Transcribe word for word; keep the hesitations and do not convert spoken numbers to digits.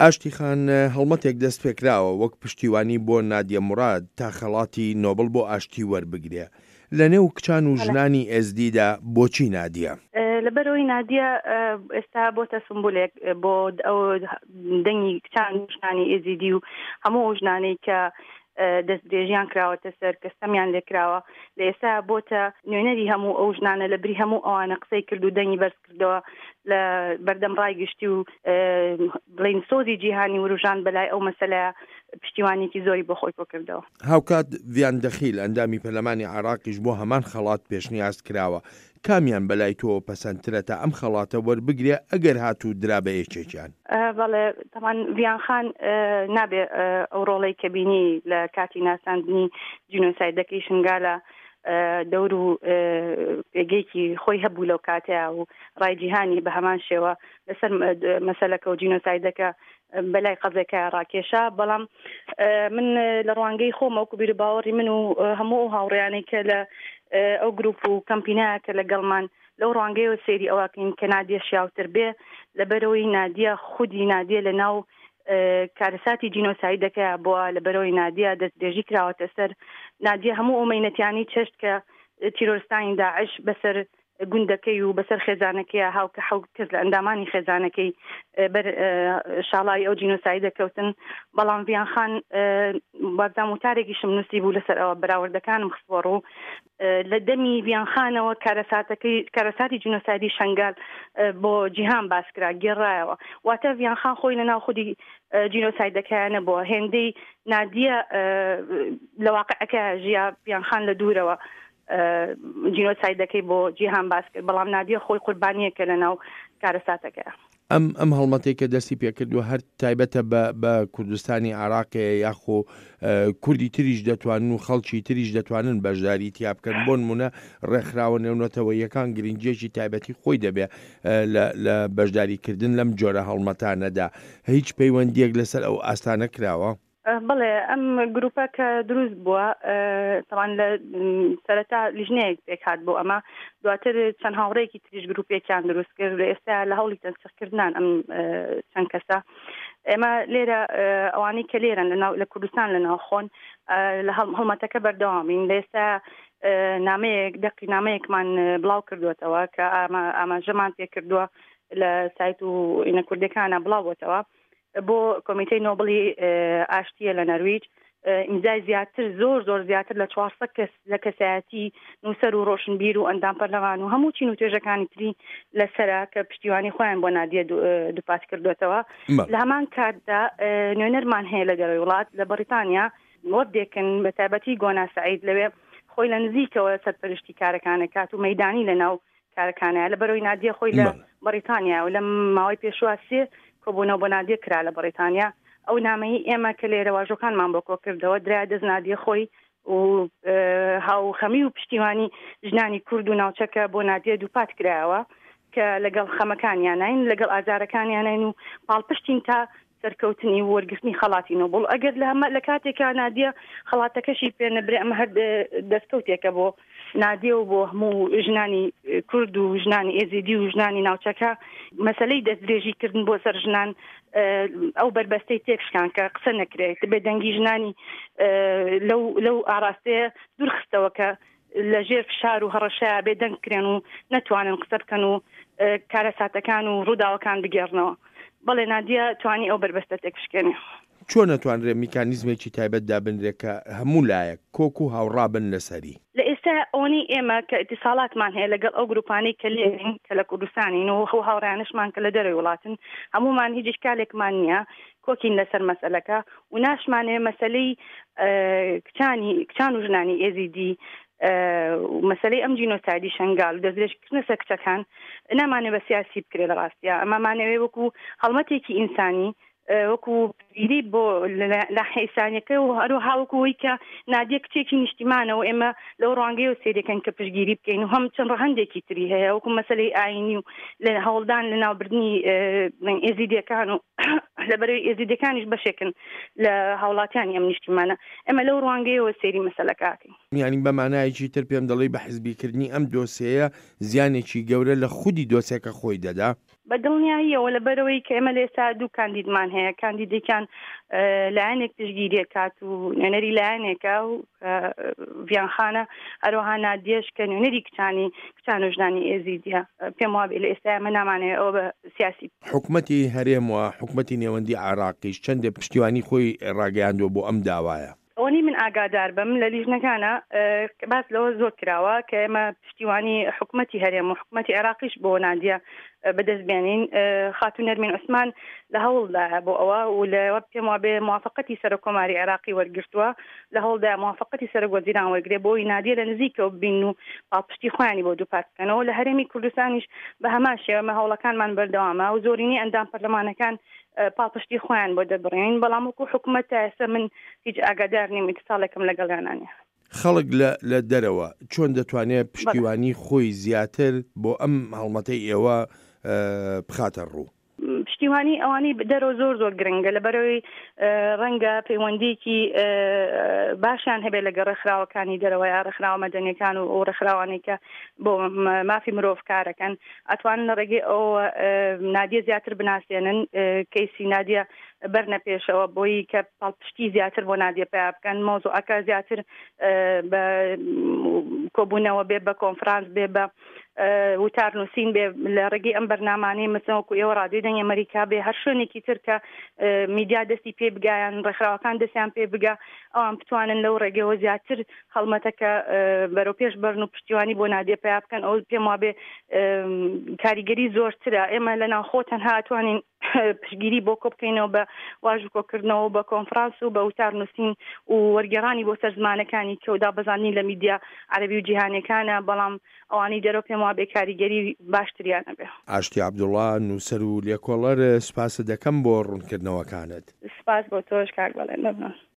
ئاشتی خان، هەڵمەتێک دەست پێکراوە وەک پشتیوانی بۆ نادیە موراد تا خەڵاتی نۆبڵ بۆ ئاشتی وەربگرێ. لە نێو کچان و ژنانی ئێزدیدا بۆچی نادیە؟ لەبەرەوەی نادیە ئێستا بۆتە سمبولێک بۆ ئەو دەنگی کچان و ژنانی ئێزیدی و هەموو ئەو ژنانەی کە دەستدرێژیان کراوەتە سەر، کە ستەمیان لێکراوە. لە ئێستا بۆتە نوێنەری هەموو ئەو ژنانە، لە بری هەموو ئەوانە قسەی کرد و دەنگی بەرز کردەوە لە بەردەم ڕای گشتی و بڵین سۆزی جیهانی وروژان بەلای ئەو مەسەلەیە پشتیوانێکی زۆری بۆ خۆی کۆ کردەوە. هاوکات ڤیان دەخیل ئەندامی پەرلەمانی عێراقیش بۆ هەمان خەڵات پێشنیاز کراوە. کامیان بەلای تۆوە پەسەندترە تا ئەم خەڵاتە وەربگرێ ئەگەر هاتوو درا بە یەکێکیان؟ بەڵێ، تەمان ڤیان خان نابێ ئەو ڕۆڵەی کە بینی لە کاتی ناساندنی جینۆسایدەکەی شنگالە دەور و پێگەیەکی خۆی هەبوو لەو کاتەیە و ڕای جیهانی بە هەمان شێوە لەسەر مەسەلەکە و جینۆسایدەکە بەلای قەزێکە ڕاکێشا. بەڵام من لە ڕوانگەی خۆمە وەکو بیر و باوەڕی من و هەموو ئەو هاوڕێیانەی کە لە ئەو گروپ و کەمپینایە کە لەگەڵمان لەو ڕوانگەیەوە سەیری ئەوەکەین کە نادیە شیاوتر بێ، لەبەرەوەی نادیە خودی نادیە لە ناو کارەساتی جینۆسایدەکەیە بووە، لەبەرەوەی نادیە دەستدرێژی کراوەتە سەر. نادیە هەموو ئەو مەینەتیانی چەشت کە تیرۆرستانی داعش بەسەر گوندەکەی و بەسەر خێزانەکەی هاوکە حەوت کەس لە ئەندامانی خێزانەکەی بەر شاڵاوی ئەو جینۆسایدە کەوتن. بەڵام ڤیان خان وابزانم وتارێکیشم نووسی بوو لەسەر ئەوە، بەراوردەکانم خستووە ڕوو. لە دەمی ڤیان خانەوە کارەساتەکەی کارەساتی جینۆسایدی شەنگال بۆ جیهان باس کرا، گێڕایەوە. واتە ڤیان خان خۆی لەناو خودی جینۆسایدەکەیان نەبووە، هێندەی نادیە لە واقعەکە ژیا، ڤیان خان لە دوورەوە جینۆسایدەکەی بۆ جیهان باس کرد، بەڵام نادیە خۆی قوربانیەکە لەناو کارەساتەکەیە. ئەم ئەم هەڵمەتێک کە دەستی پێکردووە هەر تایبەتە بە بە کوردستانی عراقێ یاخۆ کوردی تریش دەتوانن و خەڵکی تریش دەتوانن بەشداری تیا بکەن؟ بۆ نمونە ڕێکخراوە نێونەتەوەیەکان گرنگیەکی تایبەتی خۆی دەبێ لە بەشداریکردن لەم جۆرە هەڵمەتانەدا. هیچ پەیوەندیەک لەسەر ئەو ئاستانە کراوە؟ بەڵێ، ئەم گروپە کە دروست بووە تەوان لە سەرەتا لیژنەیەک پێک هات بۆ ئەمە، دواتر چەند هاوڕێکی تریش گروپێکیان دروست کرد. لە ئێستا لە هەوڵی تەنسیقکردنان ئەم چەند کەسە. ئێمە لێرە ئەوانەی کە لێرن لە کوردستان لە ناوخۆن لە هەڵمەتەکە بەردەوامین. لە ئێستا نامەیەک دەقی نامەیەکمان بڵاو کردوێتەوە کە ئاماژەمان پێکردووە لە سایت و ئینە کوردەکانە بڵاو بۆتەوە بۆ کۆمیتەی نۆبڵی ئاشتیە لە نەرویج. ئیمزای زیاتر زۆر زۆر زیاتر لە چوارسەد کەس لە کەسایەتی نووسەر و ڕۆشنبیر و ئەندام پەرلەمان و هەموو چین و توێژەکانی تری لەسەرە کە پشتیوانی خۆیان بۆ نادیە دووپات کردوێتەوە. لە هەمان کاتدا نوێنەرمان هەیە لە دەرەوەی وڵات لە بەریتانیا وەفدێکن بە تایبەتی گۆنا سعید لەوێ خۆی لە نزیکەوە سەرپەرشتی کارەکانە کات و مەیدانی لە ناو کارەکانە. لە بەرەوەی نادیە خۆی لە بەریتانیا و لە ماوەی پێشوە سێ کۆبوونەوە بۆ نادیە کرا لە بەریتانیا. ئەو نامەی ئێمە کە لێرە واژۆکانمان بۆ کۆ کردەوە درا دەست نادیە خۆی و هاوخەمی و پشتیوانی ژنانی کورد و ناوچەکە بۆ نادیە دووپات کرایەوە کە لەگەڵ خەمەکانیانین، لەگەڵ ئازارەکانیانین و پاڵپشتین تا سەرکەوتنی و وەرگرتنی خەڵاتی نۆبڵ. ئەگەر لە هەمە لە کاتێکا نادیە خەڵاتەکەشی پێ نەبرێ، ئەمە هەر دەستکەوتێکە بۆ نادیە و بۆ هەموو ژنانی کورد و ژنانی ئێزیدی و ژنانی ناوچەکە. مەسلەی دەستدرێژیکردن بۆ سەر ژنان ئەو بەربەستەی تێکشکان کە قسە نەکرێت، بێدەنگی ژنانی لەو لەو ئاراستەیە دوورخستەوە کە لە ژێر فشار و هەڕەشەیە بێدەنگ کرێن و نەتوانن قسە بکەن و کارەساتەکان و ڕووداوەکان بگێڕنەوە. بەڵێ، نادیە توانی ئەو بەربەستە تێک بشکێنێ. چۆن نەتوانرێ میکانیزمێکی تایبەت دابنرێ کە هەموو لایەک کۆک و هاوڕابن لەسەری؟ لە ئێستا ئەوەی ئێمە کە ئیتیساڵاتمان هەیە لەگەڵ ئەو گروپانەی کە لێرین کە لە کوردستانین و ئەو هاوڕێیانشمان کە لە دەرەوەی وڵاتن، هەمومان هیچ ئیشکالێکمان نییە، کۆکین لەسەر مەسەلەکە و ناشمانەوێ مەسەلەی کچانی کچان و ژنانی ئێزیدی مەسلەی ئەم جینۆسایدی شەنگال و دەستدرێژکردنە سەر کچەکان نامانێ بە سیاسی بکرێ. لە ڕاستیا ئەمەمانەوێ وەکو هەڵمەتێکی ئینسانی، وەکو پشتگیری بۆ لە حیسانەکە و هەروەها وەکو ئەوەی کە نادیە کچێکی نیشتیمانە و ئێمە لەو ڕوانگەیەوە سەیرەکەن کە پشتگیری بکەین و هەم چەند ڕەهەندێکی تری هەیە وەکو مەسەلەی ئاینی و لە هەوڵدان لە ناوبردنی ئێزیدیەکان و لەبەرەوەی ئێزیدیەکانیش بەشێکن لە هاوڵاتیانی ئەم نیشتیمانە، ئێمە لەو ڕوانگەیەوە سەیری مەسەلەکە ئەکەین. یانی بە مانایەکی تر پێم دەڵێی بە حزبیکردنی ئەم دۆسێیە زیانێکی گەورە لە خودی دۆسێکە خۆی دەدا؟ بە دڵنیاییەوە، لەبەرئەوەی کە ئێمە لە ئێستا دوو کاندیدمان هەیە، کاندیدێکیان لایەنێک پشتگیری ئەکات و نوێنەری لایەنێکە و ڤیان خانە، هەروەها نادیەش کە نوێنەری کچانی کچان و ژنانی ئێزیدیە. پێم وابێ لە ئێستا ئێمە نامانەوێ ئەوە بە سیاسی. حکومەتی هەرێم و حکومەتی نێوەندی عێراقیش چەندێ پشتیوانی خۆی ڕاگەیاندووە بۆ ئەم داوایە؟ ئەوەنەی من ئاگادار بم لە لیژنەکانە باس لەوە زۆر کراوە کە ئێمە پشتیوانی حکومەتی هەرێم و حکومەتی عێراقیش بۆ نادیە بەدەست بێنین. خاتوو نەرمین عوسمان لە هەوڵدایە بۆ ئەوە و لە پێم وابێ موافقەتی سەرۆک کۆماری عێراقی وەرگرتووە، لە هەوڵدایە موافقەتی سەرۆک وەزیران وەرگرێ بۆ ئەوەی نادیە لە نزیکەوە ببین و پاڵپشتی خۆیانی بۆ دووپات بکەنەوە. لە هەرێمی کوردستانیش بە هەمان شێوە ئێمە هەوڵەکانمان بەردەوامە و زۆرینەی ئەندام پەرلەمانەکان پاڵپشتی خۆیان بۆ دەبڕین، بەڵام وەکو حکومەت تا ئێستا من هیچ ئاگادار نیم، ئیتساڵێکم لەگەڵیانا نییە. خەڵک لە لە دەرەوە چۆن دەتوانێت پشتیوانی خۆی زیاتر بۆ ئەم هەڵمەتەی ئێوە بخاتە ڕوو؟ پشتیوانی ئەوانەی دەرەوە زۆر زۆر گرنگە، لەبەرەوەی ڕەنگە پەیوەندیکی باشیان هەبێت لەگەڵ ڕێکخراوەکانی دەرەوە یا ڕێکخراوە مەدەنیەکان و ئەو ڕێکخراوانەی کە بۆ مافی مرۆڤ کارەکەن، ئەتوانن لە ڕێگەی ئەو نادیە زیاتر بناسێنن، کەیسی نادیە بەرنە پێشەوە بۆی کە پاڵپشتی زیاتر بۆ نادیە پیا بکەن، مەوزوعەکە زیاتر بە کۆبوونەوە بێ، بە کۆنفرانس بێ، بە وتار نووسین بێ، لە ڕێگەی ئەم بەرنامانەی مەسەلەن وەکو ئێوە ڕادیۆی دەنگی ئەمەریکا بێ، هەر شوێنێکی تر کە میدیا دەستی پێ بگا یان ڕێکخراوەکان دەستیان پێ بگا، ئەوان بتوانن لەو ڕێگەیەوە زیاتر هەڵمەتەکە بەرەو پێش بەرن و پشتیوانی بۆ نادیە پیا بکەن. ئەو پێم وابێ کاریگەری زۆرترە. ئێمە لە ناوخۆ تەنها ئەتوانین پشتگیری بۆ کۆ بکەینەوە بە واژوو کۆکردنەوە، بە کۆنفرانس و بە وتار نووسین و وەرگێڕانی بۆ سەر زمانەکانی کە و دابەزاندنی لە میدیا عەرەبی و جیهانیەکانە، بەڵام ئەوانەی دەرەوە پێم وابێ کاریگەری باشتریان ئەبێ. ئاشتی عەبدوڵا، نووسەر و لێکۆڵەر، سوپاست دەکەم بۆ ڕوونکردنەوەکانت. سوپاس بۆ تۆش کاک بەڵێن، مەمنون.